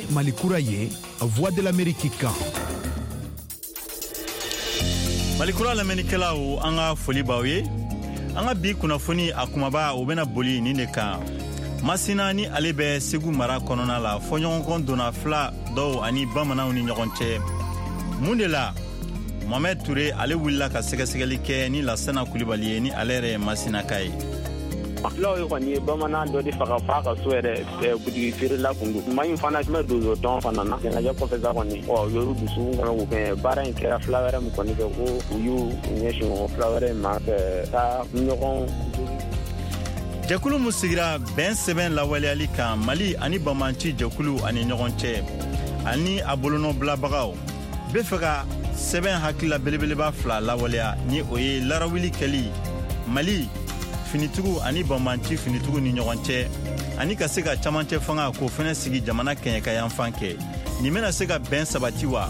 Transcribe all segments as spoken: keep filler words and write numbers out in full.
Ye Mali kura ye, Voix de l'Amérique kan. Mali kura lamɛnnikɛlaw, an ka foli b'aw ye. An ka bi kunnafoni a kumaba, o bɛna boli nin de kan. Masina ni ale bɛ Segu mara kɔnɔna la, fɔɲɔgɔnkɔ donna fila dɔw ani bamananw ni ɲɔgɔn cɛ. Mun de la? Mohamed Touré ale wulila ka sɛgɛsɛgɛli kɛ ni Lasana Kulibali ye, ni ale yɛrɛ ye Masinaka ye. Fulaw ye kɔni ye bamanan dɔ de faga f'a ka so yɛrɛ butigi feerela kun don. Maa in fana tun bɛ donso tɔn fana na. Ɲɛnajɛ kɔfɛ sa kɔni, ɔ y'olu dusukun kɔnɔ k'u kɛ baara in kɛra fila wɛrɛ min kɔni fɛ, ko u y'u ɲɛsin o fila wɛrɛ in ma ka taa ɲɔgɔn. Jɛkulu min sigira bɛn sɛbɛn lawaleyali kan Mali ani Bamanci jɛkulu ani ɲɔgɔn cɛ, ani a bolonɔbilabagaw bɛ fɛ ka sɛbɛn hakilila belebeleba fila lawaleya, ni o ye larawuli kɛli Mali finitigiw ani banbanci finitigiw ni ɲɔgɔn cɛ, ani ka se ka camancɛ fanga k'o fɛnɛ sigi jamana kɛɲɛkayanfan kɛ. Nin bɛna se ka bɛn sabati wa?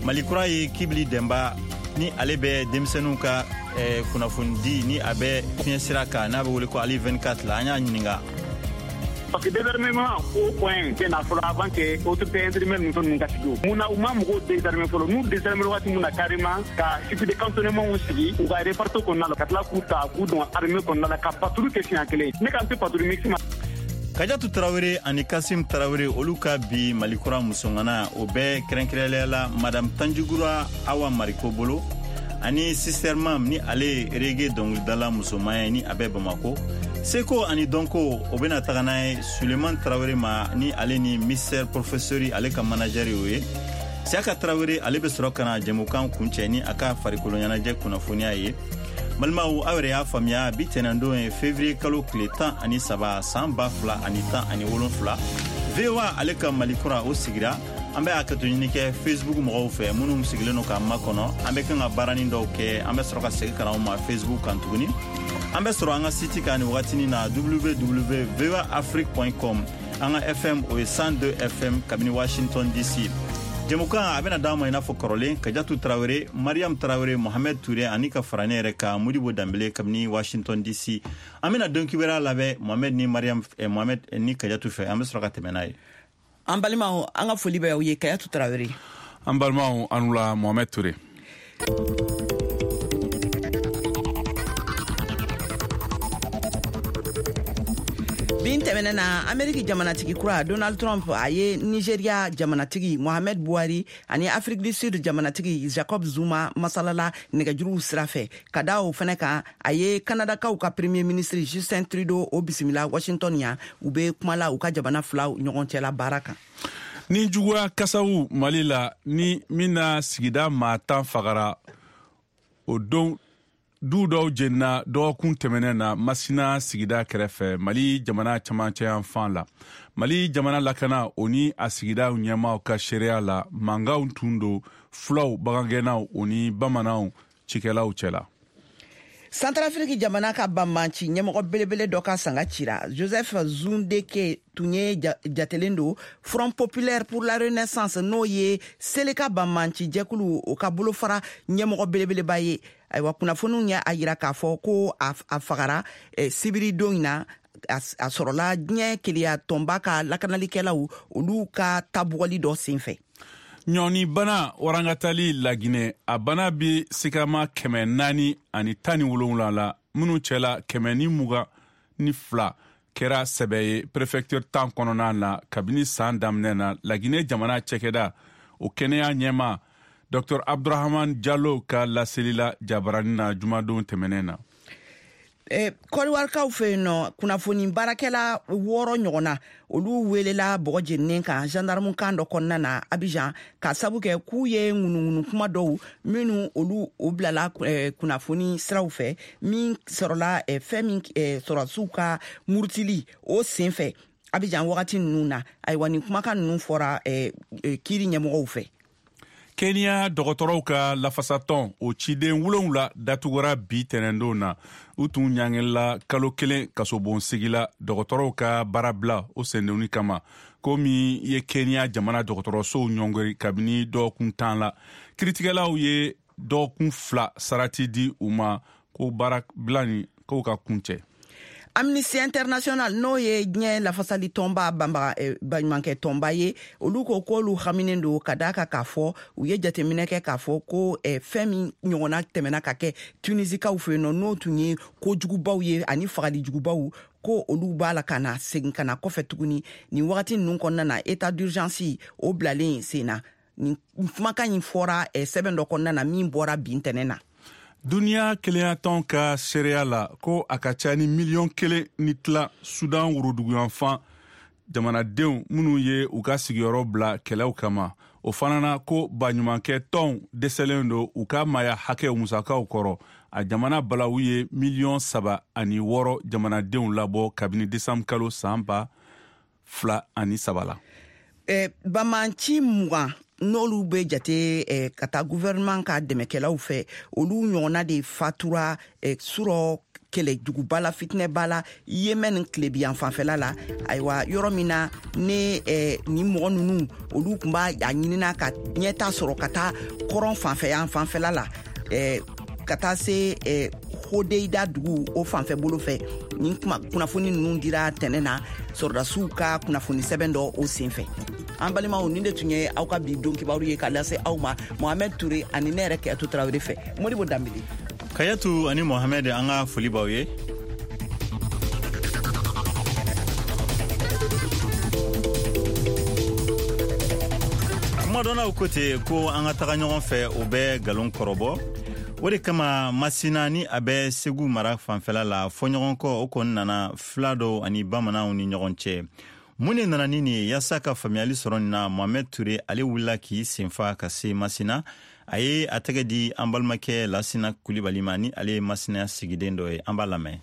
Mali kura ye Kibili Dɛnba, ni ale bɛ denmisɛnninw ka eh, kunnafonidi ni a bɛ fiɲɛ sira kan, n'a bɛ wele ko Ali vingt-quatre la, an y'a ɲininka. Parce que désarmement au point bɛ na fɔlɔ avant que autorité intérimaire ninnu ninnu ka sigi. O mun na u ma mɔgɔw désarmer fɔlɔ? N'u désarmer waati mun na carrément, ka site de cantonnement sigi u ka réparto kɔnɔna la, ka tila k'u ta k'u don armée kɔnɔna la, ka patrouille kɛ siɲɛ kelen, ne kan tɛ patrouille mixte ma. Kajatu Tarawele ani Kasim Tarawele, olu ka bi Mali kura musoŋana, o bɛɛ kɛrɛnkɛrɛnnenya la Madame Tanjigura Awa Mariko bolo, ani Sister Mam, ni ale ye reggae dɔnkilidala musoman ye, ni a bɛ Bamako. Seko ani dɔnko, o bɛna taga n'a ye Suleiman Tarawele ma, ni ale ni Mister Professeur ale ka manager y'o ye. Siaka Tarawele ale bɛ sɔrɔ ka na jɛmukan kuncɛ ni a ka farikolo ɲɛnajɛ kunnafoniya ye. Balimaw, aw yɛrɛ y'a faamuya, bi tɛnɛndon ye février kalo tile tan ani saba san ba fila ani tan ani wolonfila. V O A ale ka Mali kura o sigira. An bɛ hakɛto ɲini kɛ Facebook mɔgɔw fɛ minnu sigilen don k'an makɔnɔ. An bɛ kan ka baaranin dɔw kɛ, an bɛ sɔrɔ ka segin ka na aw ma Facebook kan tuguni. An bɛ sɔrɔ an ka site kan nin wagatinin na, w w w v o a afrique point com. An ka F M o ye cent deux F M kabini Washington D C. Jɛmukan a bɛna d'an ma i n'a fɔ kɔrɔlen, Kajatu Tarawele, Mariam Tarawele, Mohamed Touré ani ka fara ne yɛrɛ kan Modibo Danbele kabini Washington D C. An bɛna don kibaruya labɛn Mohamed ni Mariam, eh, Mohamed ni Kajatu fɛ, an bɛ sɔrɔ ka tɛmɛ n'a ye. An balimaw, an ka foli bɛ aw ye. Kajatu Tarawele. An balimaw, an la Mohamed Touré. Bin tɛmɛnen na, Ameriki jamanatigi kura Donald Trump a ye Nigeria jamanatigi Mohamed Buhari ani Afrique du Sud jamanatigi Jacob Zuma masalala nɛgɛjuruw sira fɛ. Ka da o fɛnɛ kan, a ye Kanadakaw ka premier ministre Justin Trudeau o bisimila Washington yan. U bɛ kuma la u ka jamana filaw ɲɔgɔn cɛla baara kan. Ni juguya kasaw Mali la, ni min na sigida maa tan fagara o don, du dɔw jenina dɔgɔkun tɛmɛnen na Masina sigida kɛrɛfɛ, Mali jamana camancɛ yanfan la. Mali jamana lakana o ni a sigidaw ɲɛmaaw ka seereya la, mankanw tun don fulaw, bagangɛnnaw o ni bamananw cikɛlaw cɛla. Centrafrique jamana ka banbanci ɲɛmɔgɔ belebele dɔ ka sanga cira. Joseph Zundeke tun ye jatelen don Front Populaire pour la Renaissance, n'o ye Seleka banbanci jɛkulu o ka bolofara ɲɛmɔgɔ belebeleba ye. Ayiwa, kunnafoniw ye a yira k'a fɔ ko a fagara sibiri don in na. A sɔrɔla diɲɛ keleya tɔnba ka lakanalikɛlaw olu ka tabugɔli dɔ senfɛ. Ɲɔni bana warangatali Laginɛ, a bana bi sigama kɛmɛ naani ani tan ni wolonwula la, minnu cɛla kɛmɛ ni mugan ni fila kɛra sɛbɛ ye prefecture tan kɔnɔna na kabini san daminɛ na. Laginɛ jamana cɛkɛda o kɛnɛya ɲɛma Docteur Abdurahman Jalo ka laseli la jabarani na jumadon tɛmɛnen na. Eh, Kɔdiwarikaw fɛ yen nɔ, kunnafoni baarakɛla wɔɔrɔ ɲɔgɔn na, olu welela bɔgɔ jeninen kan gendarme kan dɔ kɔnɔna na Abidjan, ka sabu kɛ k'u ye ŋunuŋunu kuma dɔw minnu olu o bilala eh, kunnafoni siraw fɛ, min sɔrɔla eh, fɛn min eh, sɔrɔsiw ka murutili o sen fɛ Abidjan wagati ninnu na. Ayiwa, nin kumakan ninnu fɔra eh, eh, kiiri ɲɛmɔgɔw fɛ. Kenya dɔgɔtɔrɔw ka lafasatɔn o ciden wolonwula datugura bi tɛnɛndon na. U tun ɲangila kalo kelen kasobon sigi la dɔgɔtɔrɔw ka baarabila o sendonni kama, ko min ye Kenya jamana dɔgɔtɔrɔsow ɲɔngiri kabini dɔgɔkun tan la. Kiritigɛlaw ye dɔgɔkun fila sarati di u ma ko baarabila nin k'o ka kuncɛ. Amnesty International n'o ye diɲɛ lafasali tɔnba banbaga baɲumankɛ tɔnba ye, olu ko k'olu haminen don ka d'a kan k'a fɔ u ye jateminɛ kɛ k'a fɔ ko fɛn min ɲɔgɔnna tɛmɛna ka kɛ Tunisikaw fɛ yen nɔ, n'o tun ye kojugubaw ye ani fagalijugubaw, ko olu b'a la ka na segin ka na kɔfɛ tuguni nin wagati ninnu kɔnɔna na, état d'urgence o bilalen sen na. Nin kumakan in fɔra sɛbɛn dɔ kɔnɔna na min bɔra bi ntɛnɛn na. Duniya kelenyatɔn ka seereya la ko a ka ca ni miliyɔn kelen ni tila Sudan woroduguyanfan jamanadenw minnu ye u ka sigiyɔrɔ bila kɛlɛw kama. O fana na ko baɲumankɛ tɔnw dɛsɛlen don u ka maaya hakɛw musakaw kɔrɔ. A jamana balawu ye miliyɔn saba ani wɔɔrɔ jamanadenw labɔ kabini desanburu kalo san ba fila ani saba la. Eh, bamanci mugan n'olu bɛ jate eh, ka taa gouvernement ka dɛmɛkɛlaw fɛ, olu ɲɔgɔnna de fatura eh, surɔ kɛlɛ juguba la, fitinɛba la Yemen tilebiyan fanfɛla la. Ayiwa, yɔrɔ min na ne eh, ni mɔgɔ ninnu olu tun b'a ɲinina ka ɲɛta sɔrɔ ka taa kɔrɔn fanfɛ fanfɛla la, eh, ka taa se eh, Hodeida dugu o fanfɛ bolo fɛ. Nin kunnafoni ninnu dira tɛnɛ na sɔrɔdasiw ka kunnafoni sɛbɛn dɔ o senfɛ. An balimaw, nin de tun ye aw ka bi don kibaru ye ka lase aw ma Mohamed Touré ani ne yɛrɛ Kayatu Tarawele fɛ. Modibo Danbele. Kayatu ani Mohamed, an ka foli b'aw ye. Kumadɔnnaw ko ten ko an ka taga ɲɔgɔn fɛ, o bɛ nkalon kɔrɔbɔ. O de kama Masina ni a bɛ Segu mara fanfɛla la, fɔɲɔgɔnkɔ o kɔni nana fila dɔw ani bamananw ni ɲɔgɔn cɛ. Mun de nana ni nin ye? Yaasa ka faamuyali sɔrɔ nin na, Mohamed Touré ale wulila k'i senfa ka se Masina. A ye a tɛgɛ di an balimakɛ Lasina Kulibali ma, ni ale ye Masina sigiden dɔ ye. An b'a lamɛn.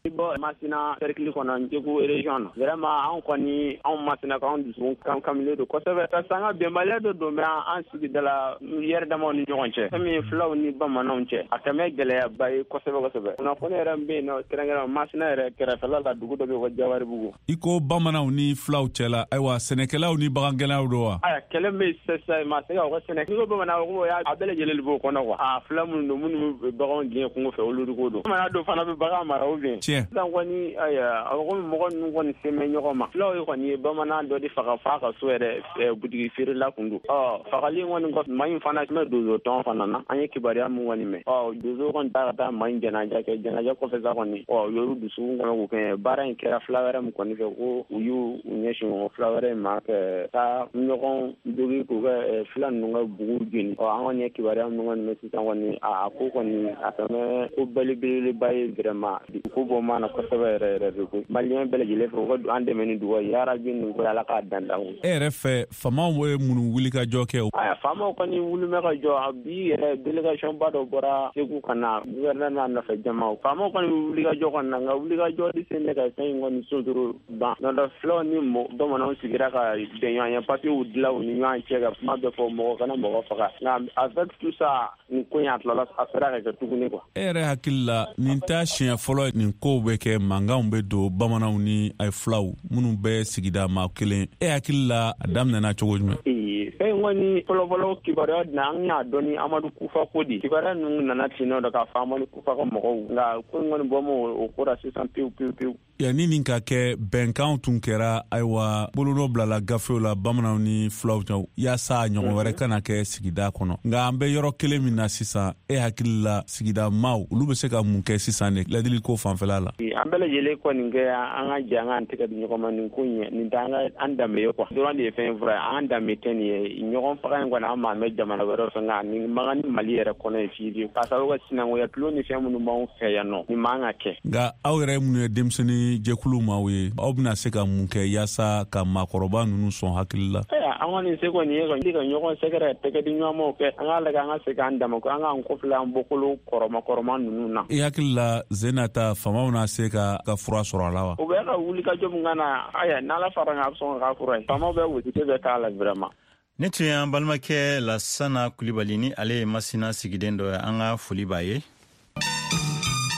Bɔ Masina cercle kɔnɔ, Segu région na. Vraiment anw kɔni, anw Masina k'anw dusukun kan kamilen don kosɛbɛ, parce que an ka bɛnbaliya dɔ don bɛ an sigida la yɛrɛ damaw ni ɲɔgɔn cɛ, fɛn min ye filaw ni bamananw cɛ, a kɛmɛ gɛlɛyaba ye kosɛbɛ kosɛbɛ. Kunnafoni yɛrɛ min bɛ yen nɔ, kɛrɛnkɛrɛn Masina yɛrɛ kɛrɛfɛla la, dugu dɔ bɛ yen ko Jawaribugu. I ko bamananw ni filaw cɛla, ayiwa sɛnɛkɛlaw ni bagangɛnnaw don wa? Aya, kɛlɛ min bɛ sisan, ma se ka o ka sɛnɛ. N'i ko bamanan, ko a bɛɛ lajɛlen de b'o kɔnɔ quoi. A fila minnu don, minnu bɛ baganw gɛn kungo fɛ, olu de ko don. Bamanan dɔw fana bɛ bagan mara ou bien. Sisan kɔni, ayiwa, a ko mɔgɔ ninnu kɔni sen bɛ ɲɔgɔn ma. Filaw ye kɔni ye bamanan dɔ de faga f'a ka so yɛrɛ butigi feerela kun don. Ɔ fagali kɔni kɔfɛ, maa in fana tun bɛ donso tɔn fana na. An ye kibaruya mun kɔni mɛn, ɔ donso kɔni taara ka taa maa in jɛnajɛ kɛ. Jɛnajɛ kɔfɛ sa kɔni, ɔ y'olu dusukun kɔnɔ k'o kɛ baara in kɛra fila wɛrɛ min kɔni fɛ, ko u y'u ɲɛsin o fila wɛrɛ in ma ka taa ɲɔgɔn jogi k'u ka fila ninnu ka bugu jeni. Ɔ an kɔni ye kibaruya min kɔni mɛn sisan kɔni, a ko kɔni a tɛmɛ ko belebeleba ye vraiment. Ko bɔ ma na kosɛbɛ yɛrɛ yɛrɛ de koyi. Maliyɛn bɛɛ lajɛlen fɛ, u ka an dɛmɛ ni dugawu ye, yarabi nin ko Ala k'a dan dan. E yɛrɛ fɛ, faamaw ye minnu wuli ka jɔ kɛ? Aya, faamaw kɔni wuli bɛ ka jɔ. Bi yɛrɛ délégation ba dɔ bɔra Segu ka na gouverneur n'a nɔfɛ jamaw. Faamaw kɔni wuli ka jɔ kɔni na, nka wuli ka jɔ de sen bɛ ka fɛn in kɔni sotoro ban. N'o tɛ filaw ni bamananw sigira ka bɛn ɲɔgɔn ye, papiyew dilan u ni ɲɔgɔn cɛ ka kuma bɛɛ fɔ, mɔgɔ kana mɔgɔ faga. Nka avec tout ça, nin ko in a tilala a sera ka kɛ tuguni quoi. E yɛrɛ hakili la, nin t'a siɲɛ fɔlɔ nin kow bɛ kɛ, mankanw bɛ don bamananw ni filaw minnu bɛ sigida maa kelen. E hakili la, a daminɛna cogo jumɛn? Ee, fɛn in kɔni fɔlɔfɔlɔ kibaruya na, an y'a dɔn ni Amadu Kufa ko de. Kibaruya ninnu nana ten nɔ k'a fɔ Amadu Kufa ka mɔgɔw, nka ko in kɔni bɔ ma o ko la sisan pewu pewu pewu. Yanni nin ka kɛ, bɛnkanw tun kɛra, ayiwa bolonɔ bilala gafew la bamananw ni filaw cɛ yaasa ɲɔgɔn wɛrɛ kana kɛ sigida kɔnɔ. Nka an bɛ yɔrɔ kelen min na sisan, e hakili la sigida maaw olu bɛ se ka mun kɛ sisan de ladili ko fanfɛla la? An bɛɛ lajɛlen kɔni kɛ an ka jɛ an k'an tɛgɛ di ɲɔgɔn ma nin ko in ye. Nin t'an ka an danbe ye quoi. Dɔrɔn de ye fɛn fura ye, an danbe tɛ nin ye. Ɲɔgɔn faga in kɔni an m'an mɛn jamana wɛrɛ fɛ, nka nin man kan ni Mali yɛrɛ kɔnɔ ye fiyewu. K'a sababu kɛ sinankunya tulon ni fɛn minnu b'anw fɛ yan nɔ, nin man ka kɛ. Nka aw yɛrɛ minnu ye denmisɛnnin jɛkulu maaw ye, aw bɛna se ka mun kɛ yaasa ka maakɔrɔba ninnu sɔn hakili la? An kɔni se kɔni ye kɔni ka ɲɔgɔn sɛgɛrɛ, tɛgɛ di ɲɔgɔn kɛ, an k'a lajɛ an ka segin an dama, an k'an kɔfilɛ an bɔkolo kɔrɔma kɔrɔma ninnu na. I hakili la, Zenata, faamaw na se ka ka fura sɔrɔ a la wa? U bɛ ka wuli ka jɔ min ka na, aya n'Ala fara kan, a bɛ sɔn ka fura ye. Faamaw bɛ wuli bɛ k'a la vraiment. Ne tun y'an balimakɛ Lasana Kulibali, ni ale ye Masina sigiden dɔ ye, an ka foli b'a ye.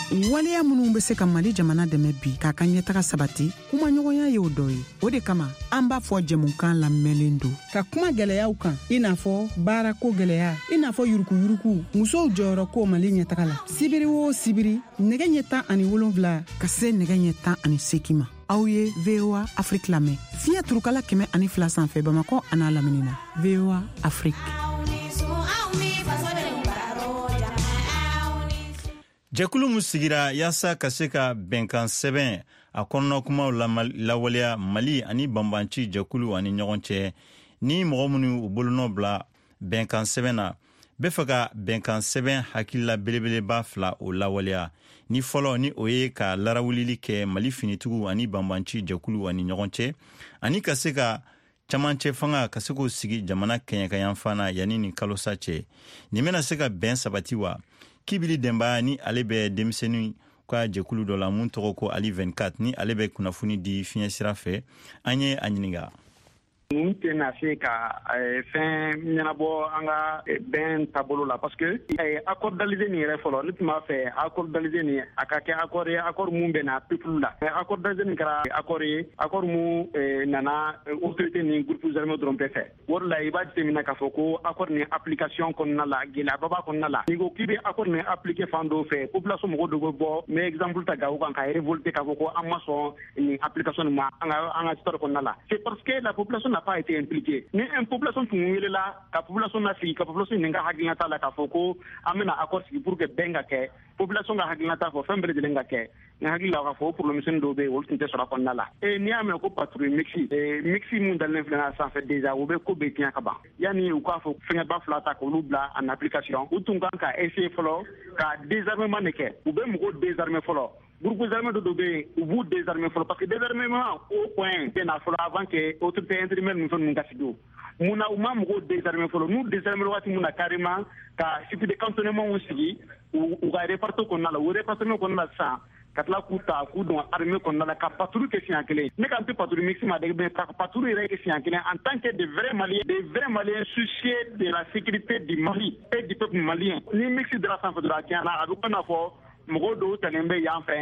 Waleya minnu bɛ se ka Mali jamana dɛmɛ bi k'a ka ɲɛtaga sabati, kumaɲɔgɔnya Musoŋana y'o dɔ ye. O de kama an b'a fɔ jɛmukan lamɛnlen don ka kuma gwɛlɛyaw kan, i n'a fɔ baarako gwɛlɛya, i n'a fɔ yurukuyuruku, musow jɔyɔrɔ ko Mali ɲɛtaga la. Sibiri o sibiri, nɛgɛ ɲɛ tan ani wolonfila ka se nɛgɛ ɲɛ tan ani seegin ma, aw ye V O A Afrique lamɛn fiɲɛ turukala kɛmɛ ani fila sanfɛ Bamakɔ an'a lamini na. V O A Afrique. Jɛkulu min sigira yaasa ka se ka bɛnkan sɛbɛn a kɔnɔna kumaw lawaleya Mali ani banbanci jɛkulu ani ɲɔgɔn cɛ, ni mɔgɔ minnu u bolonɔ bila bɛnkan sɛbɛn na, bɛ fɛ ka bɛnkan sɛbɛn hakilila belebeleba fila o lawaleya. Ni fɔlɔ ni o ye ka larawulili kɛ Mali finitigiw ani banbanci jɛkulu ani ɲɔgɔn cɛ, ani ka se ka camancɛ fanga ka se k'o sigi jamana kɛɲɛkayanfan na yanni nin kalosa cɛ. Nin bɛna se ka bɛn sabati wa? Kibili Denba ni ale bɛ denmisɛnnin ka jɛkulu dɔ la mun tɔgɔ ko Ali vingt-quatre, ni ale bɛ kunnafoni di fiɲɛ sira fɛ, an ye a ɲininka. Ninnu tɛna se ka fɛn ɲɛnabɔ an ka bɛn taabolo la, parce que accord d'Alger nin yɛrɛ fɔlɔ, ne tun b'a fɛ accord d'Alger nin a ka kɛ accord ye, accord mun bɛnna peuple la. Accord d'Alger nin kɛra accord ye, accord mun nana autorité ni groupes armés dɔrɔn bɛɛ fɛ. O de la i b'a jateminɛ k'a fɔ ko accord nin application kɔnɔna la, gɛlɛyaba b'a kɔnɔna la. N'i ko k'i bɛ accord nin appliquer fan dɔw fɛ, population mɔgɔ dɔw bɛ bɔ, n bɛ exemple ta Gawo kan, ka révolter k'a fɔ ko an ma sɔn nin application nin ma an ka an ka histoire kɔnɔna la. C'est parce que la population n'a pas été impliquée. Ni une population tun welela ka population na sigi, ka population ɲininka hakilinata la k'a fɔ ko an bɛna accord sigi pour que bɛn ka kɛ, population ka hakilinata fɔ, fɛn bɛɛ lajɛlen ka kɛ. N hakili la k'a fɔ o problème misɛnnin dɔw bɛ yen, olu tun tɛ sɔrɔ a kɔnɔna la. E n'i y'a mɛn ko patrouille mixte, mixte mun dalen filɛ a sanfɛ déjà, o bɛ ko bɛɛ tiɲɛ ka ban. Yanni u k'a fɔ fɛngɛba fila ta k'olu bila en application, u tun kan ka essayer fɔlɔ ka désarmement de kɛ. U bɛ mɔgɔw désarmer fɔlɔ. Groupes armés dɔ bɛ yen, u b'u désarmer fɔlɔ, parce que désarmement au point bɛ na fɔlɔ avant que autorité intérimaire ninnu fɛn ninnu ka sigi. O mun na u ma mɔgɔw désarmer fɔlɔ? N'u désarmer waati mun na carrément, ka site de cantonnement sigi u ka réparto kɔnɔna la, o répartement kɔnɔna la sisan, ka tila k'u ta k'u don armée kɔnɔna la, ka patrouille kɛ siɲɛ kelen. Ne kan tɛ patrouille mixte ma dɛ, mais ka patrouille yɛrɛ kɛ siɲɛ kelen en tant que de vrais Maliens, des vrais Maliens soucieux de la sécurité du Mali et du peuple malien. Ni mixte dara sanfɛ dɔrɔn, a tiɲɛna, a bɛ komi n'a fɔ mɔgɔw dɔw talen bɛ yan fɛ,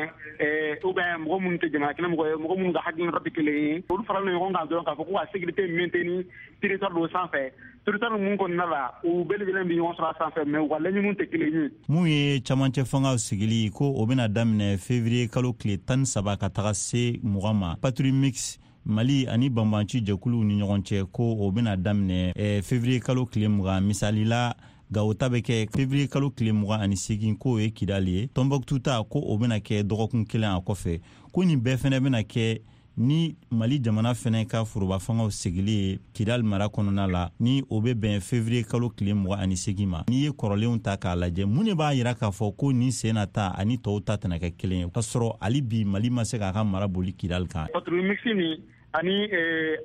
ou bien mɔgɔ minnu tɛ jamana kelen mɔgɔ ye, mɔgɔ minnu ka hakilinata tɛ kelen ye, olu faralen ɲɔgɔn kan dɔrɔn k'a fɔ ko ka sécurité maintenir territoire dɔ sanfɛ, territoire mun kɔnɔna la u bɛɛ lajɛlen bɛ ɲɔgɔn sɔrɔ a sanfɛ, mais u ka laɲiniw tɛ kelen ye. Mun ye camancɛ fangaw sigili ko o bɛna daminɛ février kalo tile tan ni saba ka taga se mugan ma, patrouille mixte Mali ani banbanci jɛkuluw ni ɲɔgɔn cɛ ko o bɛna daminɛ février kalo tile mugan. Misali la, Gawo ta bɛ kɛ février kalo tile mugan ani seegin, k'o ye Kidali ye. Tombouctou ta ko o bɛna kɛ dɔgɔkun kelen a kɔfɛ. Ko nin bɛɛ fɛnɛ bɛna kɛ ni Mali jamana fɛnɛ ka foroba fangaw sigili ye Kidali mara kɔnɔna la, ni o bɛ bɛn février kalo tile mugan ani seegin ma. N'i ye kɔrɔlenw ta k'a lajɛ, mun de b'a yira k'a fɔ ko nin sen na ta ani tɔw ta tɛna kɛ kelen ye, k'a sɔrɔ hali bi Mali ma se k'a ka mara boli Kidali kan? Patrouille mixte nin ani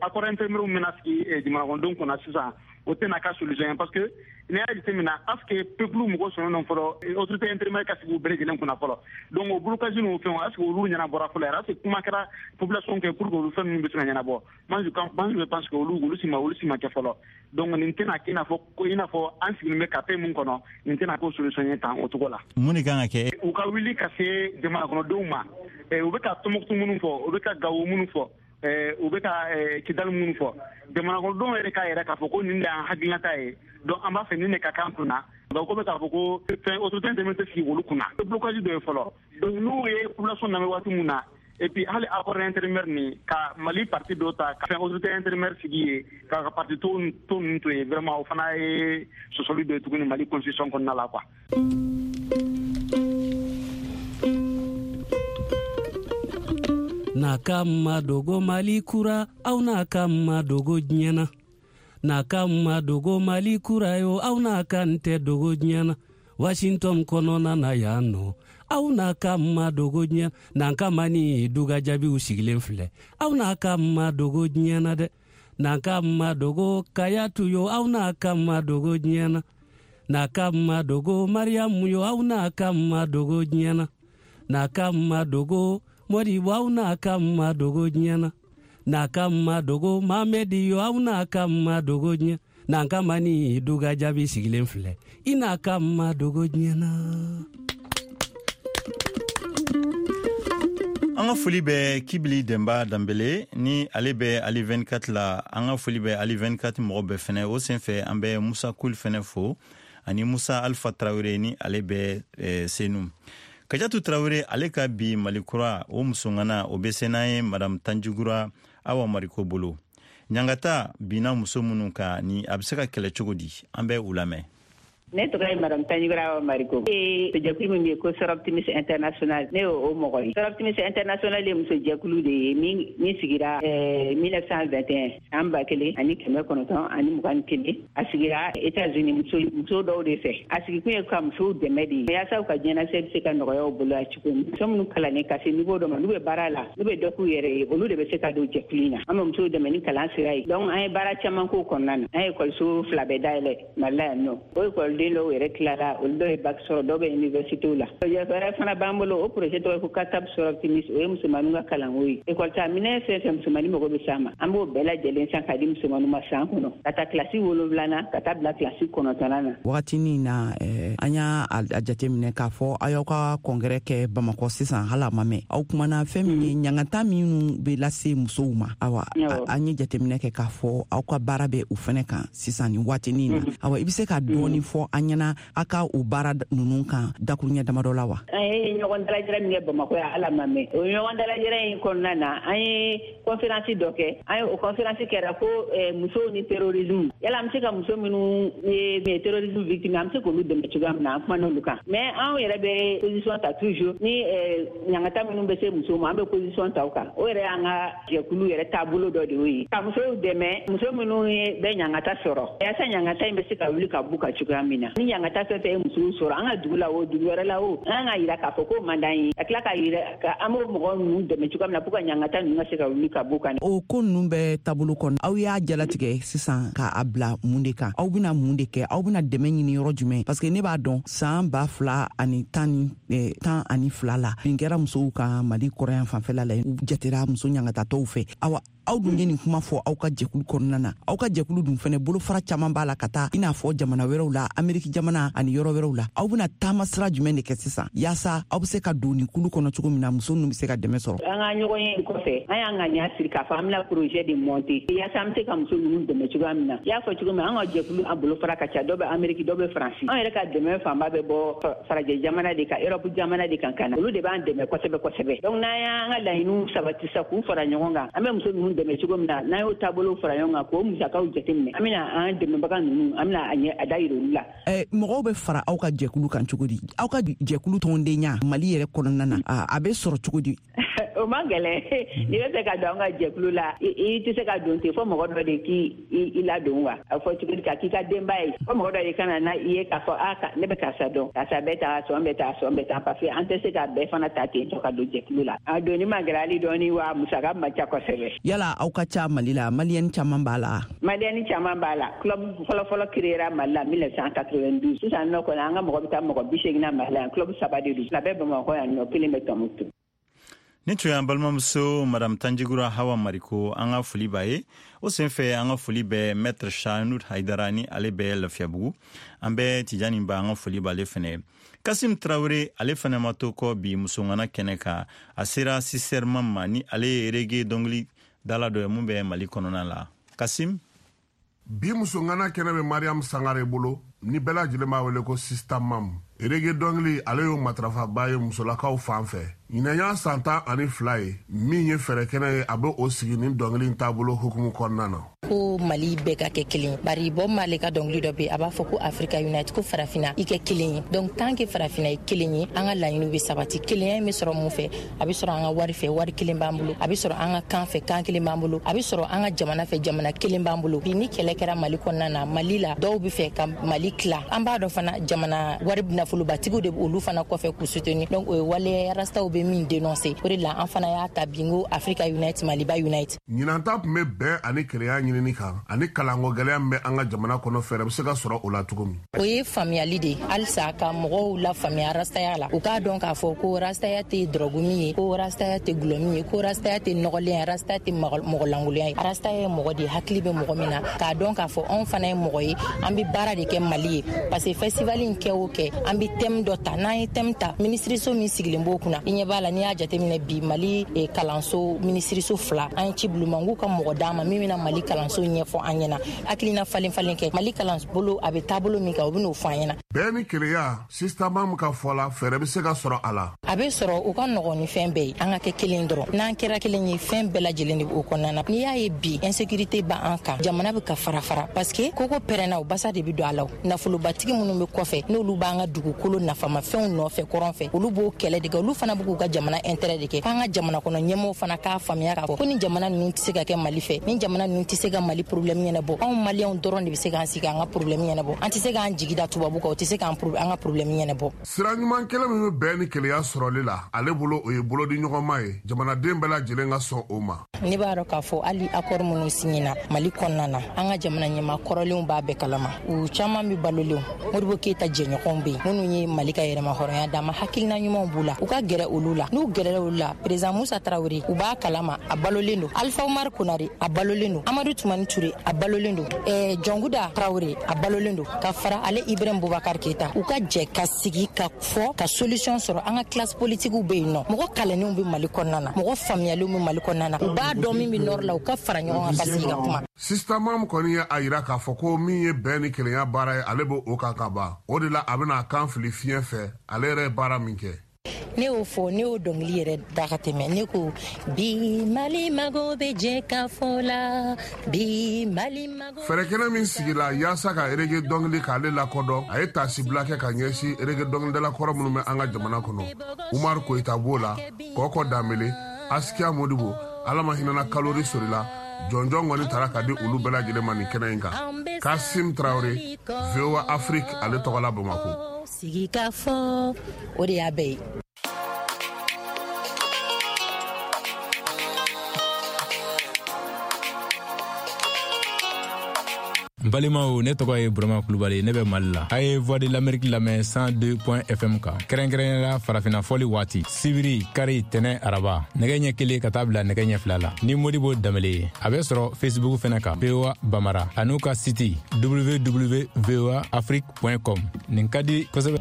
accord intérimaire min bɛna sigi jamana kɔnɔdenw kunna sisan, o tɛna ka solution ye, parce que n'i y'a jateminɛ, est ce que peuple mɔgɔ sɔnnen don fɔlɔ autorité intérimaire ka sigi u bɛɛ lajɛlen kunna fɔlɔ? Donc o blocage n'o fɛnw, est ce que olu ɲɛnabɔra fɔlɔ yɛrɛ? Est ce que kuma kɛra population kɛ pour que olu fɛn ninnu bɛ se ka ɲɛnabɔ? Moi je moi je pense que olu olu si ma olu si ma kɛ fɔlɔ. Donc nin tɛna kɛ i n'a fɔ ko i n'a fɔ an sigilen bɛ ka mun kɔnɔ, nin tɛna k'o solution ye tan o cogo la. Mun de kan ka kɛ? U ka wuli ka se jamana kɔnɔdenw ma. U bɛ ka Tombouctou minnu fɔ, u bɛ ka Gawo minnu fɔ, u bɛ ka Kidali minnu fɔ, jamana kɔnɔdenw yɛrɛ k'a yɛrɛ k'a fɔ ko nin de y'an hakilinata ye, donc an b'a fɛ nin de ka k'an kunna. Donc ko bɛ k'a fɔ ko fɛn autorité intérimaire tɛ sigi olu kunna, blocage dɔ ye fɔlɔ. Donc n'u ye population lamɛn waati mun na, et puis hali accord intérimaire nin ka Mali parti dɔ ta ka fɛn autorité intérimaire sigi ye, ka parti to to ninnu to yen, vraiment o fana ye sɔsɔli dɔ ye tuguni Mali constitution kɔnɔna la quoi. N'a ka ma dogo Mali kura, aw n'a ka ma dogo diɲɛ na. N'a ka ma dogo Mali kura yo, aw n'a ka n tɛ dogo diɲɛ na. Washington kɔnɔna na yan nɔ, aw n'a ka ma dogo diɲɛ na. N'an ka ma ni duga jaabiw sigilen filɛ, aw n'a ka ma dogo diɲɛ na dɛ. N'an ka ma dogo Kayatu yo, aw n'a ka ma dogo diɲɛ na. N'a ka ma dogo Mariyamu yo, aw n'a ka ma dogo diɲɛ na. N'a ka ma dogo Modibo, aw n'a ka ma dogo diɲɛ na. N'a ka ma dogo Mamedi yo, aw n'a ka ma dogo diɲɛ. N'an ka ma ni duga jaabi sigilen filɛ, i n'a ka ma dogo diɲɛ na. An ka foli bɛ Kibili Denba Danbele ni ale bɛ Ali vingt-quatre la. An ka foli bɛ Ali vingt-quatre mɔgɔ bɛɛ fɛnɛ. O senfɛ an bɛ Musa Kul fɛnɛ fo ani Musa Alpha Traoré ni ale bɛ eh, Senu. Kajatu Traoré ale ka bi Malikura o musongana o bɛ se n'an ye Madame Tanjugura Awa Mariko bolo. Ɲangata binna muso minnu kan ni a bɛ se ka kɛlɛ cogo di, an bɛ u lamɛn. Ne tɔgɔ ye Madame Tanjugura Mariko. Ee jɛkulu min bɛ yen ko Soroptimist International, ne y'o mɔgɔ ye. Soroptimist International ye muso jɛkulu de ye min min sigira mille neuf cent vingt et un, san ba kelen ani kɛmɛ kɔnɔntɔn ani mugan ni kelen. A sigira États-Unis muso muso dɔw de fɛ. A sigikun ye ka musow dɛmɛ de ye yaasa u ka diɲɛlatigɛ bɛ se ka nɔgɔya u bolo a cogo min. Muso minnu kalannen ka se niveau dɔ ma, n'u bɛ baara la, n'u bɛ dɔ k'u yɛrɛ ye, olu de bɛ se ka don jɛkulu in na. An bɛ musow dɛmɛ ni kalan sira ye. Donc an ye baara caman k'o kɔnɔna na. An ye ekɔliso fila bɛɛ dayɛlɛ Mali la yan nɔ. O ekɔliden dɔw yɛrɛ tilala, olu dɔw ye bac sɔrɔ, dɔw bɛ université la. Projet wɛrɛ fana b'an bolo, o projet tɔgɔ ye ko Katab Soroptimist, o ye musomaninw ka kalanko ye. Ekɔli ta minɛn fɛn fɛn musomanin mago bɛ s'a ma, an b'o bɛɛ lajɛlen san k'a di musomaninw ma san kɔnɔ, ka taa kilasi wolonwulanan ka taa bila kilasi kɔnɔntɔnnan na. Wagatinin na eh, an y'a a jateminɛ k'a fɔ aw y'aw ka congrès kɛ Bamakɔ sisan, hali a ma mɛn. Aw kumana fɛn min ye ɲangata minnu bɛ lase musow ma. Awa, an ye jateminɛ kɛ k'a fɔ aw ka baara bɛ o fɛnɛ kan sisan nin waatinin na. Awa, i bɛ se ka dɔɔni fɔ an ɲɛna a ka o baara ninnu kan dakuruɲɛ damadɔ la wa? An ye ɲɔgɔn dalajɛrɛ min kɛ Bamakɔ yan, ala ma mɛn. O ɲɔgɔn dalajɛrɛ in kɔnɔna na, an ye conférence dɔ kɛ. An ye o conférence kɛra ko musow ni terrorisme. Yala an bɛ se ka muso minnu ye terrorisme victime, an bɛ se k'olu dɛmɛ cogoya min na, an kumana olu kan. Mais anw yɛrɛ bɛ position ta toujours ni ɲangata minnu bɛ se musow ma, an bɛ position ta o kan. O yɛrɛ y'an ka jɛkulu yɛrɛ taabolo dɔ de y'o ye. Ka musow dɛmɛ, muso minnu bɛ ɲangata sɔrɔ, yaasa ɲangata in bɛ se ka wuli ka b'u kan cogoya min na. Ni ɲangata fɛn fɛn ye musow sɔrɔ an ka dugu la o, dugu wɛrɛ la o, an ka yira k'a fɔ k'o man d'an ye, ka tila ka yira ka an b'o mɔgɔ ninnu dɛmɛ cogoya min na pour ka ɲangata ninnu ka se ka wuli ka b'u kan. O ko ninnu bɛ taabolo kɔnɔ, aw y'a jalatigɛ sisan k'a bila mun de kan? Aw bɛna mun de kɛ? Aw bɛna dɛmɛ ɲini yɔrɔ jumɛn? Parce que ne b'a dɔn san ba fila ani tan ni eh, tan ani fila la, bin kɛra musow kan Mali kɔrɔyan fanfɛla la, u jatera muso ɲangatatɔw fɛ. Awa, aw dun ye nin kuma fɔ aw ka jɛkulu kɔnɔna na. Aw ka jɛkulu dun fɛnɛ bolofara caman b'a la ka taa i n'a fɔ jamana wɛrɛw la, Ameriki jamana ani yɔrɔ wɛrɛw la. Aw bɛna taama sira jumɛn de kɛ sisan yaasa aw bɛ se ka don nin kulu kɔnɔ cogo min na muso ninnu bɛ se ka dɛmɛ sɔrɔ? An ka ɲɔgɔn ye kɔfɛ, an y'an ŋaniya siri k'a fɔ an bɛna projet de monter yaasa an bɛ se ka muso ninnu dɛmɛ cogoya min na. I y'a fɔ cogo min, an ka jɛkulu an bolofara ka ca, dɔ bɛ Ameriki, dɔ bɛ Faransi. An yɛrɛ ka dɛmɛ fanba bɛ bɔ farajɛ jamana de kan, Europe jamana de kan ka na. Olu de b'an dɛmɛ kosɛbɛ kosɛbɛ. Donc n'an y'an ka laɲiniw sabati sisan k'u fara ɲɔgɔn kan, an bɛ muso ninnu dɛmɛ cogo min na, n'an y'o taabolo fara ɲɔgɔn kan k'o musakaw jateminɛ, an bɛna an dɛmɛbaga ninnu, an bɛna a ɲɛ a da yira olu la. Ɛ, mɔgɔw bɛ fara aw ka jɛkulu kan cogo di? Aw ka jɛkulu tɔndenya Mali yɛrɛ kɔnɔna na, a bɛ sɔrɔ cogo di? O man gɛlɛn. N'i bɛ fɛ ka don an ka jɛkulu la, i tɛ se ka don ten, fo mɔgɔ dɔ de k'i ladon wa. A fɔ cogo di ka k'i ka denba ye, fo mɔgɔ dɔ de ka na na i ye k'a fɔ a ne bɛ karisa dɔn, karisa bɛ taa sɔn bɛ taa sɔn bɛ taa, parce que an tɛ se ka bɛɛ fana ta ten tɔ ka don jɛkulu la. A donni man gɛlɛn hali dɔɔni wa musaka man ca kosɛbɛ. Yala aw ka ca Mali la, maliyɛn caman b'a la? Maliyɛn caman b'a la. Club fɔlɔ-fɔlɔ créera Mali la mille neuf cent quatre-vingt-douze. Sisan nɔ kɔni an ka mɔgɔ bɛ taa mɔgɔ bi seegin na Mali la yan. Club saba de don, fila bɛ Bamakɔ yan nɔ, kelen bɛ Tɔnbukutu. Nin tun y'an balimamuso Madame Tanjigura Hawa Mariko, an ka foli b'a ye. O senfɛ an ka foli bɛ Maître Chanud Haidara ni ale bɛ Lafiyabugu. An bɛ Tijani Ba, an ka foli b'ale fɛnɛ. Kasim Traoré ale fɛnɛ ma to kɔ bi musongana kɛnɛ kan. A sera Siserman ma ni ale ye reggae dɔnkili dala dɔ ye mun bɛ Mali kɔnɔna la. Kasim, bi musongana kɛnɛ bɛ Mariam Sangare bolo ni bɛɛ lajɛlen b'a wele ko Sista Mam. Reggae dɔnkili ale y'o matarafaba ye musolakaw fan fɛ. Ɲinan y'a san tan ani fila ye min ye fɛɛrɛ kɛnɛ ye, a bɛ o sigi ni dɔnkili taabolo hukumu kɔnɔna na. Ko Mali bɛɛ ka kɛ kelen, bari Bob Marley ka dɔnkili dɔ bɛ, a b'a fɔ ko Africa Unite, ko farafina i kɛ kelen ye. Donc tant que farafina ye kelen ye, an ka laɲiniw bɛ sabati. Kelenya in bɛ sɔrɔ mun fɛ? A bɛ sɔrɔ an ka wari fɛ, wari kelen b'an bolo. A bɛ sɔrɔ an ka kan fɛ, kan kelen b'an bolo. A bɛ sɔrɔ an ka jamana fɛ, jamana kelen b'an bolo. Bi ni kɛlɛ kɛra Mali kɔnɔna na, Mali la dɔw bɛ fɛ ka Mali tila. An b'a dɔn fana jamana wari nafolobatigiw de olu fana kɔfɛ k'u soutenir. Donc o ye waleya rastaw bɛ min dénoncer. O de la an fana y'a ta bi n ko Africa Unite, Maliba Unite. Ɲinan ta tun bɛ bɛn ani kelenya ɲinini kan. kan ani kalanko gɛlɛya min bɛ an ka jamana kɔnɔ, fɛɛrɛ bɛ se ka sɔrɔ o la cogo min. O ye faamuyali de ye, halisa ka mɔgɔw lafaamuya rastaya la, u k'a dɔn k'a fɔ ko rastaya tɛ dɔrɔgu min ye, ko rastaya tɛ gulɔ min ye, ko rastaya tɛ nɔgɔlen ye, rastaya tɛ mɔgɔ lankolon ye. Rastaya ye mɔgɔ de ye, hakili bɛ mɔgɔ min na, k'a dɔn k'a fɔ anw fana ye mɔgɔ ye, an bɛ baara de kɛ Mali ye, parce que festival in kɛ o kɛ, an bɛ thème dɔ ta. N'an ye thème ta, minisiriso min sigilen b'o kunna, i ɲɛ b'a la, n'i y'a jateminɛ bi, Mali kalanso minisiriso fila, an ye ci bila u ma, n k'u ka mɔgɔ d'an ma min bɛna Mali kalanso ɲɛfɔ an ɲɛna, hakilina falen falen kɛ Mali kalanbolo a bɛ taabolo min kan, u bɛ n'o fɔ an ɲɛna. Bɛɛ ni keleya, Sista Mam ka fɔ la, fɛɛrɛ bɛ se ka sɔrɔ a la. A bɛ sɔrɔ, u ka nɔgɔn ni fɛn bɛɛ ye, an ka kɛ kelen dɔrɔn. N'an kɛra kelen ye, fɛn bɛɛ lajɛlen de b'o kɔnɔna na. N'i y'a ye bi, insécurité b'an kan, jamana bɛ ka fara fara, parce que koko pɛrɛnna, o basa de bɛ don a la. Nafolobatigi minnu bɛ kɔfɛ, n'olu b'an ka dugukolo nafamafɛnw nɔfɛ kɔrɔn fɛ, olu b'o kɛlɛ de kɛ, olu fana b'u k'u ka jamana intérêt de kɛ. K'an ka jamana kɔnɔ ɲɛmɔgɔw fana k'a faamuya k'a fɔ ko ni jamana ninnu tɛ se ka kɛ Mali fɛ, ni jamana ninnu tɛ se ka Mali problème ɲɛnabɔ, anw Maliyɛnw dɔrɔn de bɛ se k'an sigi k'an ka problème ɲɛnabɔ. An tɛ se k'an jigi da tubabu kan, o tɛ se k'an an ka problème ɲɛnabɔ. Sira ɲuman kelen min bɛ bɛn ni keleya sɔrɔli la, ale bolo, o ye bolodiɲɔgɔnma ye, jamanaden bɛɛ lajɛlen ka sɔn o ma. Ne b'a dɔn k'a fɔ hali accord minnu signena Mali kɔnɔna na, an ka jamana ɲɛmaa kɔrɔlenw b'a bɛɛ kalama, u caman bɛ balolenw. Modibo Keyita jɛɲɔgɔnw bɛ yen minnu ye Mali ka yɛrɛma hɔrɔnya d'a ma, hakilina ɲumanw b'u la, u ka gɛrɛ olu la. N'u gɛrɛla olu la, président Musa Tarawele, u b'a kalama, a balolen don, Alpha Umar Konare, a balolen don, Amadu Tumani Ture, a balolen don, ɛɛ Jɔnguda Tarawele, a balolen don, ka fara ale Ibrahim Boubacar Keita, u ka jɛ ka sigi ka fɔ ka solution sɔrɔ. An ka classe politique bɛ yen nɔ, mɔgɔ kalannenw bɛ Mali kɔnɔna na, mɔgɔ faamuyalenw bɛ Mali kɔnɔna na, u b'a dɔn min bɛ nord la, u ka fara ɲɔgɔn kan ka sigi ka kuma. Sista Mam kɔni ye a yira k'a fɔ ko min ye bɛn ni kelenya baara ye, ale b'o kan ka ban. O de la, a bɛna a kan fili fiɲɛ fɛ, ale yɛrɛ ye baara min kɛ. Ne y'o fɔ, ne y'o dɔnkili yɛrɛ da ka tɛmɛ. Ne ko bi Mali mago bɛ jɛ ka fɔ la, bi Mali mago. Fɛɛrɛ kɛnɛ min sigila yaasa ka reggae dɔnkili k'ale lakodɔn, a ye taasibila kɛ ka ɲɛsin reggae dɔnkilidala kɔrɔ minnu bɛ an ka jamana kɔnɔ. Umar Koyita b'o la, Kɔkɔ Danbele, Asikiya Modibo, Ala ma hinɛna Kalori Sorila, jɔnjɔn kɔni taara ka di olu bɛɛ lajɛlen ma nin kɛnɛ in kan. Kasim Traoré, V O A Afrique, ale tɔgɔ la Bamako. Sigi ka fɔ, o de y'a bɛɛ ye. N balimaw, ne tɔgɔ ye Burama Kulubali, ne bɛ Mali la. A ye Voix de l'Amérique lamɛn cent deux F M kan, kɛrɛnkɛrɛnnenya la farafinna fɔli waati, sibiri, kari, tɛnɛ, araba, nɛgɛ ɲɛ kelen ka taa bila nɛgɛ ɲɛ fila la, ni Modibo Danbele ye. A bɛ sɔrɔ Facebook fɛnɛ kan, V O A Bamara, an'u ka site W W W voa afrique com. Nin ka di kosɛbɛ.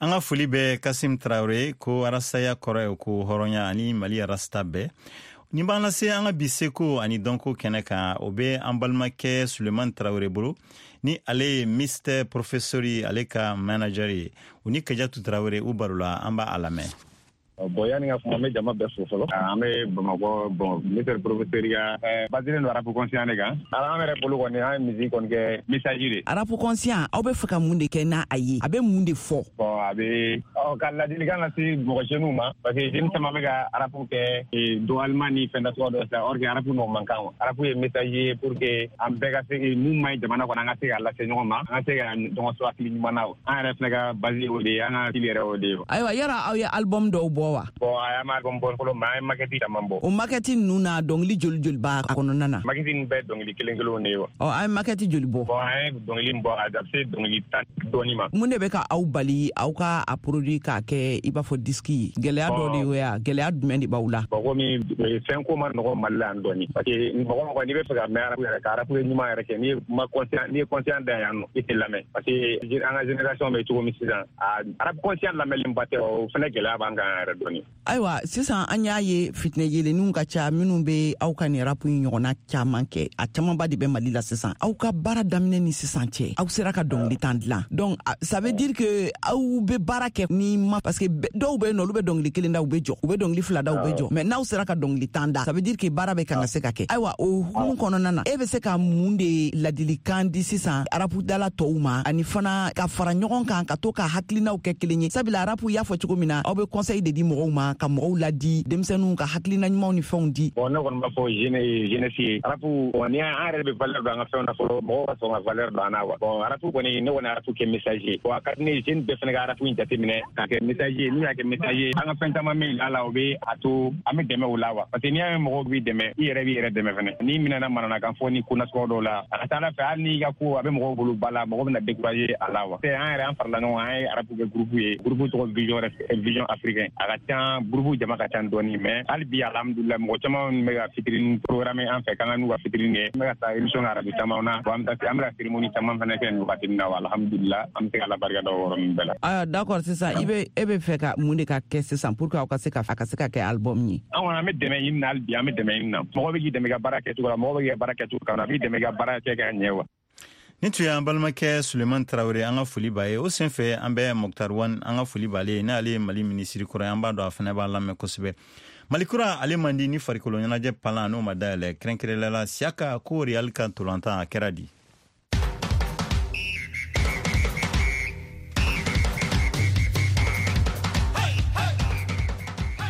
An ka foli bɛ Kasim Tarawele. Ko arasaya kɔrɔ ye ko hɔrɔnya ani Mali arasta bɛɛ. Nin b'an lase an ka bi seko ani dɔnko kɛnɛ kan. O bɛ an balimakɛ Suleman Tarawele bolo, ni ale ye Mister Professeur ye, ale ka manager ye. U ni Kajatu Tarawele, u barola, an b'a lamɛn. Bon, yani ka kuma, an bɛ jama bɛɛ fo fɔlɔ. An bɛ Bamakɔ. Bon, Mister Professeur ya baselen don rap conscient de kan. An yɛrɛ bolo kɔni, an ye musique kɔni kɛ message de. Rap conscient, aw bɛ fɛ ka mun de kɛ n'a a ye? A bɛ mun de fɔ? Bon, a bɛ ɔ ka ladilikan lase mɔgɔ jeunes ma, parce que jeune caman bɛ ka rap kɛ dɔgɔyalima ni fɛn nasuguya dɔ sisan, or que rap n'o man kan. Rap ye message ye pour que an bɛɛ ka se mun man ɲi jamana kɔnɔ, an ka se k'a lase ɲɔgɔn ma, an ka se ka ɲɔgɔn sɔrɔ hakili ɲuman na. An yɛrɛ fɛnɛ ka base o de ye, an ka style yɛrɛ o de ye. Ayiwa, yala aw ye album dɔw bɔ wa? Bon, a y'an ma album bɔ fɔlɔ, mais an ye maquette caman bɔ. O maquette ninnu na, dɔnkili joli joli b'a kɔnɔna na? Maquette ninnu bɛɛ dɔnkili kelen kelenw de ye wa. Ɔ, an ye maquette joli bɔ? Bon, an ye dɔnkili bɔ, a bɛ se dɔnkili tan dɔɔni ma. Mun de bɛ ka aw bali aw ka a produit k'a kɛ i b'a fɔ disque ye? Gɛlɛya dɔ de ye wa? Gɛlɛya jumɛn de b'aw la? Bon, komi fɛn ko ma nɔgɔ Mali la yan dɔɔni, parce que mɔgɔ mɔgɔ n'i bɛ fɛ ka mɛn rap yɛrɛ, ka rap ɲuman yɛrɛ kɛ, n'i ye ma conscient, n'i ye conscient da yan nɔ, i tɛ lamɛn, parce que an ka génération bɛ cogo min sisan, a rap conscient lamɛnlenba tɛ. O fɛnɛ gɛlɛya b'an kan yɛrɛ dɔɔni. Ayiwa, sisan an y'a ye fitinɛ yelenninw ka ca minnu bɛ aw ka nin rap in ɲɔgɔnna caman kɛ, a camanba de bɛ Mali la sisan. Aw ka baara daminɛ ni sisan cɛ, aw sera ka dɔnkili tan dilan, donc ça veut dire que aw bɛ baara kɛ ni ma, parce que dɔw bɛ yen nɔ, olu bɛ dɔnkili kelen da, u bɛ jɔ, u bɛ dɔnkili fila da, u bɛ jɔ, mais n'aw sera ka dɔnkili tan da, ça veut dire que baara bɛ kan ka se ka kɛ. Ayiwa, o hukumu kɔnɔna na, e bɛ se ka mun de ladilikan di sisan rapudala tɔw ma, ani fana ka fara ɲɔgɔn kan ka to ka hakilinaw kɛ kelen ye? Sabula rap, y'a fɔ cogo min na, aw bɛ conseil de di. di mɔgɔw ma, ka mɔgɔw ladi, denmisɛnninw ka hakilina ɲumanw ni fɛnw di? Bon, ne kɔni b'a fɔ jeune jeunesse ye, rap ni an yɛrɛ bɛ valeur don an ka fɛnw na fɔlɔ, mɔgɔw ka sɔn ka valeur don an na wa. Bon, rap kɔni, ne kɔni rap kɛ message ye. Bon, a ka di ne ye jeune bɛɛ fana ka rap in jateminɛ k'a kɛ message ye. N'u y'a kɛ message ye, an ka fɛn caman bɛ yira la, o bɛ a to an bɛ dɛmɛ o la wa. Parce que n'i y'a ye mɔgɔw b'i dɛmɛ, i yɛrɛ b'i yɛrɛ dɛmɛ fɛnɛ. N'i minɛna mananakan fɔ ni ko nasugu dɔw la, a ka ca Ala fɛ, hali n'i ka ko a bɛ mɔgɔw bolo ba la, mɔgɔ bɛna décourager a la wa. An yɛrɛ an farala ɲɔgɔn kan, an ye rap kɛ groupe ye, groupe tɔgɔ Vision Vision Africain. A ka ca, groupe jama ka ca dɔɔni, mais hali bi alhamdulillah, mɔgɔ caman bɛ ka fitinin programme an fɛ k'an ka n'u ka fitinin kɛ. An bɛ ka taa émission kɛ arajo caman na, an bɛ taa an bɛ ka cérémonie caman fana kɛ nin wagati in na wa, alhamdulillah, an bɛ se ka Ala barika da o yɔrɔ ninnu bɛɛ la. Ayiwa, d'accord, sisan i bɛ e bɛ fɛ ka mun de ka kɛ sisan pour que aw ka se ka a ka se ka kɛ album ye? An kɔni an bɛ dɛmɛ ɲini na hali bi, an bɛ dɛmɛ ɲini na. Mɔgɔ bɛ k'i dɛmɛ i ka baara kɛcogo la, mɔgɔ bɛ k'i ka baara kɛcogo kan, a b'i dɛmɛ i ka baara kɛ ka ɲɛ wa. Ni tun y'an balimakɛ Suleiman Tarawele, an ka foli b'a ye. O senfɛ an bɛ Moctar Ouane, an ka foli b'ale ye, n'ale ye Mali minisiri kɔrɔ ye, an b'a dɔn a fana b'a lamɛn kosɛbɛ. Mali kura ale man di ni farikolo ɲɛnajɛ palan n'o ma dayɛlɛ, kɛrɛnkɛrɛnnenya la Siyaka ko Real ka ntolantan a kɛra di.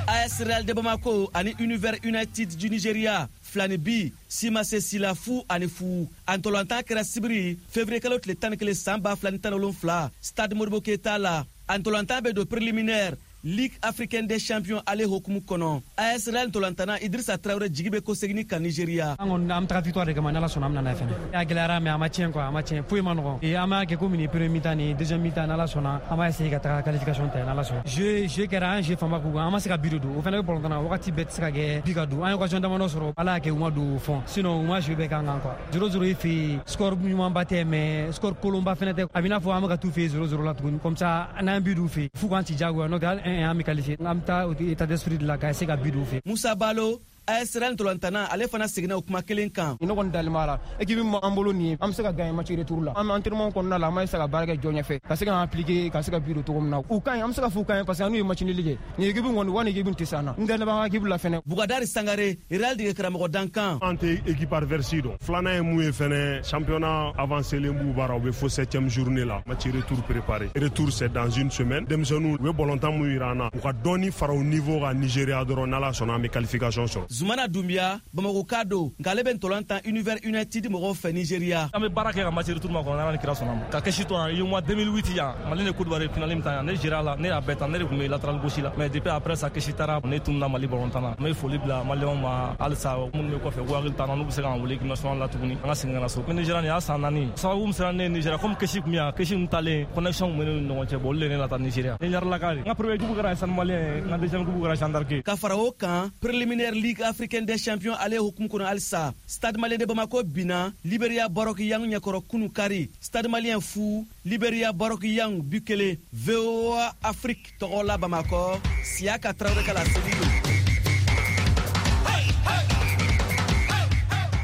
A S Real de Bamako ani Univers United du Nigeria filani bi simase sila fu ani fu. A ntolantan kɛra sibiri février kalo tile tan ni kelen san ba fila ni tan ni wolonfila stade Modibo Keita la. A ntolantan bɛ don préliminaire Ligue africaine des champions ale hokumu kɔnɔ. A S Real ntolantana Idrissa Traoré jigi bɛ kosegin kan Nigeria. An kɔni an bɛ taga victoire de kama, n'Ala sɔnna an bɛ na n'a ye fɛnɛ. A gɛlɛyara mais a ma tiɲɛ quoi, a ma tiɲɛ, foyi ma nɔgɔn. Et an b'a kɛ komi nin premier mi-temps ni deuxième mi-temps, n'Ala sɔnna an b'a essayer ka taga qualification ta, n'Ala sɔnna. Jeu jeu kɛra, an jeu fanba k'u kan, an ma se ka but de don. O fɛnɛ bɛ balontan na, wagati bɛɛ tɛ se ka kɛ but ka don. An ye occasion damadɔ sɔrɔ, Ala y'a kɛ u ma don au fond. Sinon u ma jeu bɛɛ k'an kan quoi. zéro zéro i fɛ yen, score ɲumanba tɛ mais score kolonba fɛnɛ tɛ. A bɛ i n'a fɔ an bɛ ka t'u fɛ yen zéro zéro la tuguni. Comme ça n'an ye but d'u fɛ yen, f'u k'an ci diyagoya, n'o tɛ hali un un an bɛ qualifié. An bɛ taa état d'esprit de la ka essayer ka but d'u fɛ. Musa Balo, A S Real ntolantana, ale fana seginna o kuma kelen kan. Ne kɔni dalen b'a la, équipe min b'an bolo nin ye, an bɛ se ka gagner match retour la. An bɛ entraînement kɔnɔna la, an b'a essayer ka baara kɛ jɔ ɲɛfɛ, ka se k'an appliquer, ka se ka but don cogo min na. U ka ɲi, an bɛ se ka f'u ka ɲi parce que an n'u ye match nul kɛ. Nin équipe kɔni, wa nin équipe tɛ se an na. N dalen b'an ka équipe la fɛnɛ. Bugadari Sangare, Real dege karamɔgɔ dankan. An tɛ équipe adverse dɔn. Filanan ye mun ye fɛnɛ, championnat avancé len b'u bara, u bɛ fo septième journée la. Match retour préparé. Retour c'est dans une semaine. Denmisɛnninw u bɛ balontan mun yira an na, u ka dɔɔni fara u niveau kan Nigeria dɔrɔn, n'Ala sɔnna an bɛ qualification sɔrɔ. Zumana Doumbia, Bamako ka don, nka ale bɛ ntolan tan Univers United mɔgɔw fɛ Nigeria. An bɛ baara kɛ ka match retour ma kɔnɔ, n'Ala ni kira sɔnna ma. Ka kɛsi to yan, UEMOA deux mille huit yan, Mali ni Côte d'Ivoire finale min tan yan, ne géré la, ne y'a bɛɛ tan, ne de tun bɛ latéral gauche la. Mais depuis après ça, kɛsi taara, ne tununa Mali balontan na. N bɛ foli bila Maliyɛnw ma halisa, minnu bɛ kɔfɛ, k'u hakili t'an na, n'u bɛ se k'an wele équipe nationale la tuguni, an ka segin ka na so. Ko Nigeria nin y'a san naani. Sababu min sera ne ye Nigeria, comme kɛsi tun bɛ yan, kɛsi ninnu talen, connexion tun bɛ ne ni ɲɔgɔn cɛ, bon olu de ye ne lata Nigeria. Ne ɲaralaka de. N ka premier coupe kɛra Stade Malien ye, n ka deuxième coupe kɛra Jeanne d'Arc. Ka fara o kan, préliminaire Ligue africaine des champions ale hukumu kɔnɔ halisa, Stade Malien de Bamako binna Liberia Barok Yang ɲɛkɔrɔ kunu kari. Stade Malien fu, Liberia Barok Yang bi kelen. V O A Afrique tɔgɔ la Bamakɔ, Siyaka Traoré ka laseli don.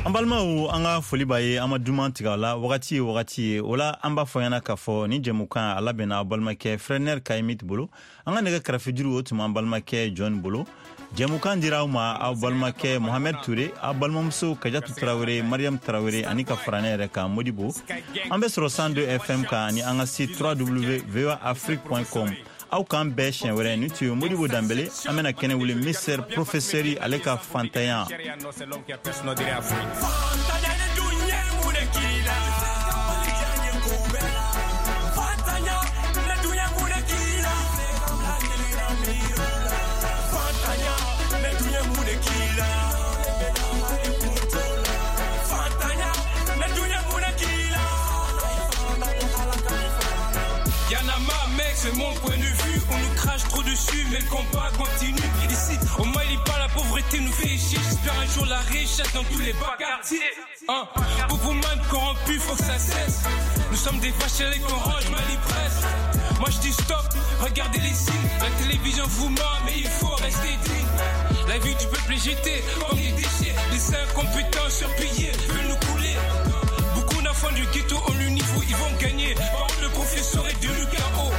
An balimaw, an ka foli b'a ye, an ma duman tigɛ a la, wagati ye wagati ye. O la an b'a fɔ ɲɛna k'a fɔ ni jɛmukan a labɛnna aw balimakɛ Frɛnɛr Kayimit bolo. An ka nɛgɛ karafejuru o tun b'an balimakɛ John bolo. Jɛmukan dira aw ma aw balimakɛ Mohamed Touré, aw balimamuso Kajatu Traoré, Mariam Traoré ani ka fara ne yɛrɛ kan Modibo. An bɛ sɔrɔ cent deux F M kan ani an ka site w w w point voa afrique point com. Aw k'an bɛɛ siɲɛ wɛrɛ. Ni tun ye Modibo Danbele, an bɛna kɛnɛ wuli Mister Professeur ale ka fantanya. C'est mon point de vue, on nous crache trop dessus, mais le combat continue. Ici, au Mali, pas la pauvreté nous fait chier. J'espère un jour la richesse dans tous les bas quartiers. Hein? Boubouman corrompu, faut que ça cesse. Nous sommes des vaches à l'écorange, Mali presse. Moi je dis stop, regardez les signes. La télévision vous ment, mais il faut rester digne. La vie du peuple est jetée comme des déchets. Les incompétents surpayés veulent nous couler. Beaucoup d'enfants du ghetto ont le niveau, ils vont gagner. Parole de professeur et de L K O.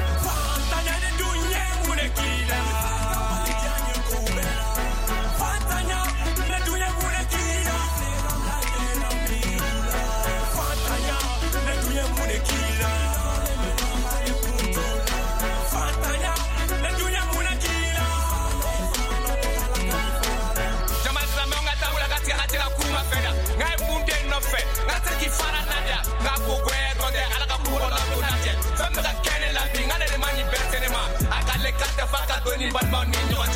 ni balimaw ni ɲɔgɔn